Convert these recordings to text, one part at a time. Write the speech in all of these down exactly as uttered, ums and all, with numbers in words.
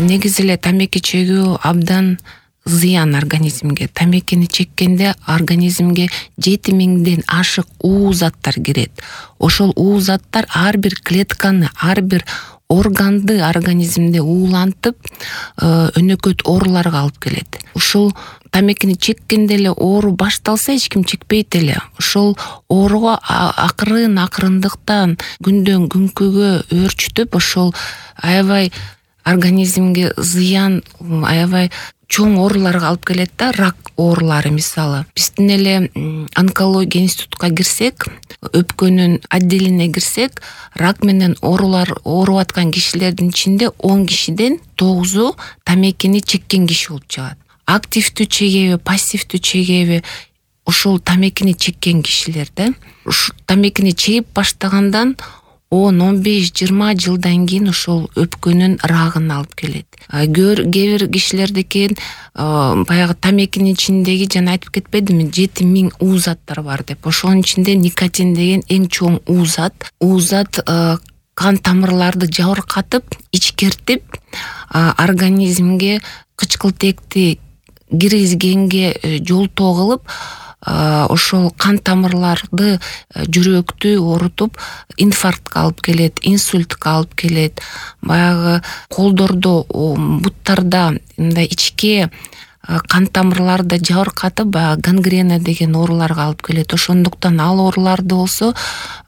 негизи эле тамеки чегүү абдан зыян организмге. Тамекини чеккенде организмге жети миңден ашык уу заттар кирет. Ошол уу заттар ар бир клетканы, ар бир органды организмде уулантып, өнөкөт ооруларга алып келет. Ушул тамекини чеккенде эле оору башталса эч ким чекпейт эле. Ошол ооруга акырын акырындыктан күндөн күнкүгө өөрчүтүп, ошол аябай организмге зыян, аябай чоң ооруларга алып келет да, рак оорулары мисалы. Биздин эле онкология институтка кирсек, өпкөнүн отделине кирсек, рак менен оорулар ооруп аткан кишилердин ичинде он кишиден тогузу тамекини чеккен киши болуп чыгат. Активдүү чегеби, пассивдүү чегеби, ошол тамекини чеккен кишилер да. Ушу тамекини чегип баштагандан он он беш жыйырма жылдан кийин ошол өпкөнүн рагын алып келет. Кээ бир кишилердеки баягы тамекинин ичиндеги, жана айтып кетпедимби, жети миң уу заттар бар деп. Ошонун ичинде никотин деген эң чоң уу зат. Уу зат кан тамырларды жабыркатып, ичкертип, организмге кычкылтекти киргизгенге жолтоо кылып, ошол кан тамырларды, жүрөктү оорутуп, инфарктка алып келет, инсультка алып келет. Баягы колдордо, буттарда мындай ичке кан тамырларды жабыркатып, баягы гангрена деген ооруларга алып келет. Ошондуктан ал ооруларды болсо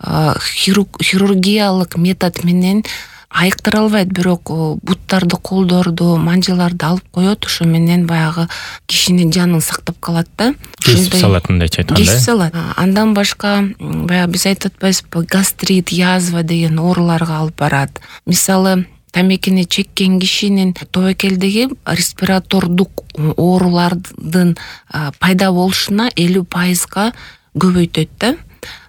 хирургиялык метод менен айыктыра албайт, бирок буттарды, колдорду, манжыларды алып коет, ошо менен баягы кишинин жанын сактап калат да. Кесип салат, мындайча айтканда. Кесип салат. Андан башка баягы биз айтып атпайбызбы, гастрит, язва деген ооруларга алып барат. Мисалы, тамекини чеккен кишинин тобокелдеги респиратордук оорулардын пайда болушуна элүү пайызга көбөйтөт да.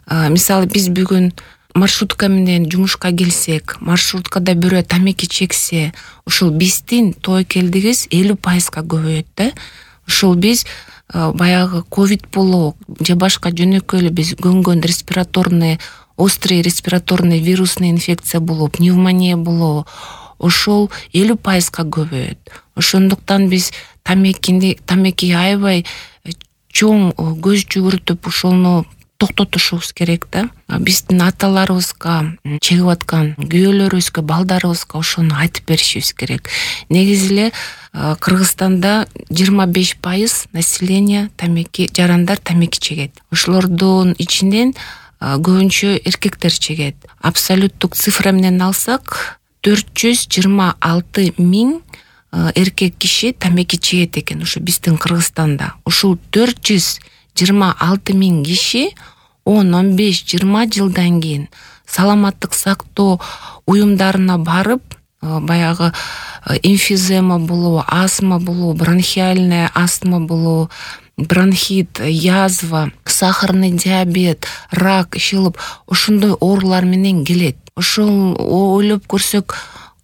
Мисалы, биз бүгүн маршрутка менен жумушка келсек, маршруткада бирөө тамеки чексе, ошол биздин тобокелдигибиз элүү пайызга көбөйөт да. Ошол биз баягы ковид болобу же башка жөнөкөй эле биз көнгөн респираторный, острый респираторный вирусный инфекция болобу, пневмония болобу, ошол элүү пайызга көбөйөт. Ошондуктан биз тамекини, тамеки аябай чоң көз жүгүртүп, ошону токтотушубуз керек да. Биздин аталарыбызга, чегип аткан күйөөлөрүбүзгө, балдарыбызга ошону айтып беришибиз керек. Негизи эле Кыргызстанда жыйырма беш пайыз население тамеки, жарандар тамеки чегет. Ошолордун ичинен көбүнчө эркектер чегет. Абсолюттук цифра менен алсак, төрт жүз жыйырма алты миң эркек киши тамеки чегет экен ошо биздин Кыргызстанда. Ушул төрт жүз жыйырма алты миң киши он он беш жыйырма жылдан кийин саламаттык сактоо уюмдарына барып, баягы эмфизема болобу, астма болобу, бронхиальная астма болобу, бронхит, язва, сахарный диабет, рак, ишилип, ошондой оорулар менен келет. Ошол ойлоп көрсөк,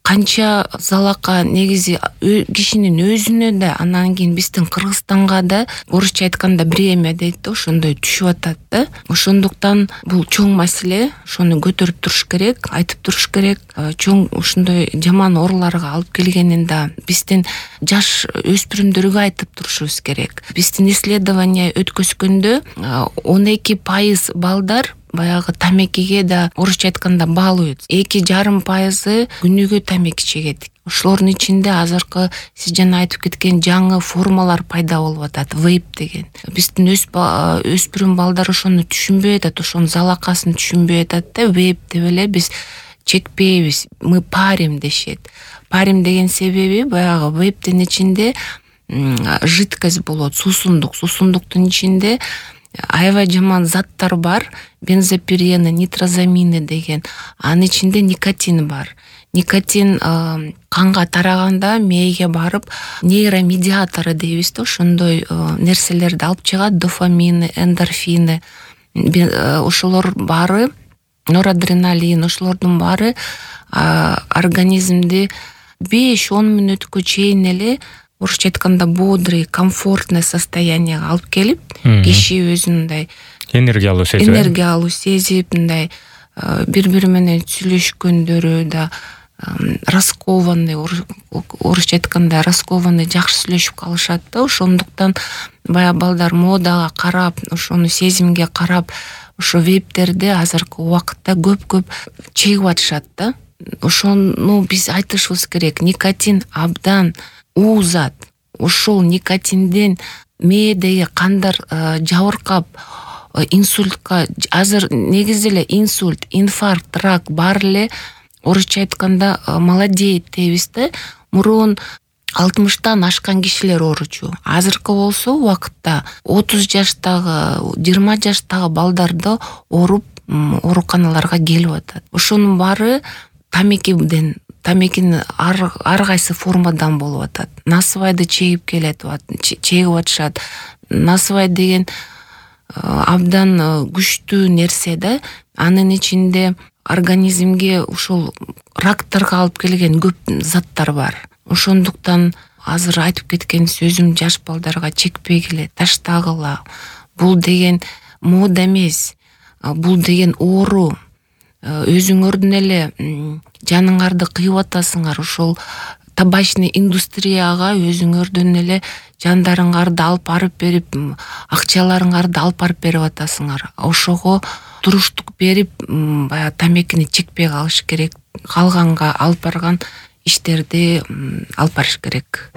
канча залака негизи кишинин өзүнө да, анан кийин биздин Кыргызстанга да, орусча айтканда бремя дейт да, ошондой түшүп атат да. Ошондуктан бул чоң маселе, ошону көтөрүп туруш керек, айтып туруш керек. Чоң ушундай жаман ооруларга алып келгенин да биздин жаш өспүрүмдөргө айтып турушубуз керек. Биздин исследование өткөзгөндө он эки пайыз балдар баягы тамекиге да орусча айтканда баалуйт. эки жарым пайызы күнүгө тамеки чегет. Ошолордун ичинде азыркы сиз жана айтып кеткен жаңы формалар пайда болуп атат, вейп деген. Биздин өспүрүм балдар ошону түшүнбөй атат, ошонун залакасын түшүнбөй атат да, вейп деп эле биз чекпейбиз, мы парим дешет. Парим деген себеби баягы вейптин ичинде жидкость болот, суусундук, суусундуктун ичинде аябай жаман заттар бар, бензопирены, нитрозамины деген. Анын ичинде никотин бар. Никотин канга тараганда мээге барып, нейромедиатору дейбиз да, ошондой нерселерди алып чыгат, дофамины, эндорфины. Ошолор баары, норадреналин, ошолордун баары организмди беш он мүнөткө чейин эле орусча айтканда бодрый, комфортный состоянияга алып келип, киши өзүндай энергиялуу сезип, энергиялуу сезип, мындай бири-бири менен сүйлөшкөндөрү да, раскованный, орусча айтканда раскованный жакшы сүйлөшүп калышат да. Ошондуктан баягы балдар модага карап, ошону сезимге карап, ошо вейптерди азыркы убакытта көп-көп чегип атышат да. Ошону биз айтышыбыз керек. Никотин абдан уузат. Ошол никотинден мээдеги кандар жабыркап, инсультка, азыр негизи эле инсульт, инфаркт, рак баары эле орусча айтканда молодеет дейбиз да. Мурун алтымыштан ашкан кишилер ооручу. Азыркы болсо убакытта отуз жаштагы, жыйырма жаштагы балдарды ооруп ооруканаларга келип атат. Ошонун баары тамекиден, тамекинин ар, ар кайсы формадан болуп атат. Насыбайды чегип келет, чегип атышат. Насыбай деген абдан күчтүү нерсе да. Анын ичинде организмге ушул рактарга алып келген көп заттар бар. Ошондуктан азыр айтып кеткен сөзүм жаш балдарга чекпегиле, таштагыла. Бул деген мода эмес. Бул деген оору. Өзүңөрдүн эле жаныңарды кыйып атасыңар. Ошол табачный индустрияга өзүңөрдүн эле жандарыңарды алып барып берип, акчаларыңарды алып барып берип атасыңар. Ошого туруштук берип, баягы тамекини чекпей калыш керек. Калганга алып барган иштерди алып барыш керек.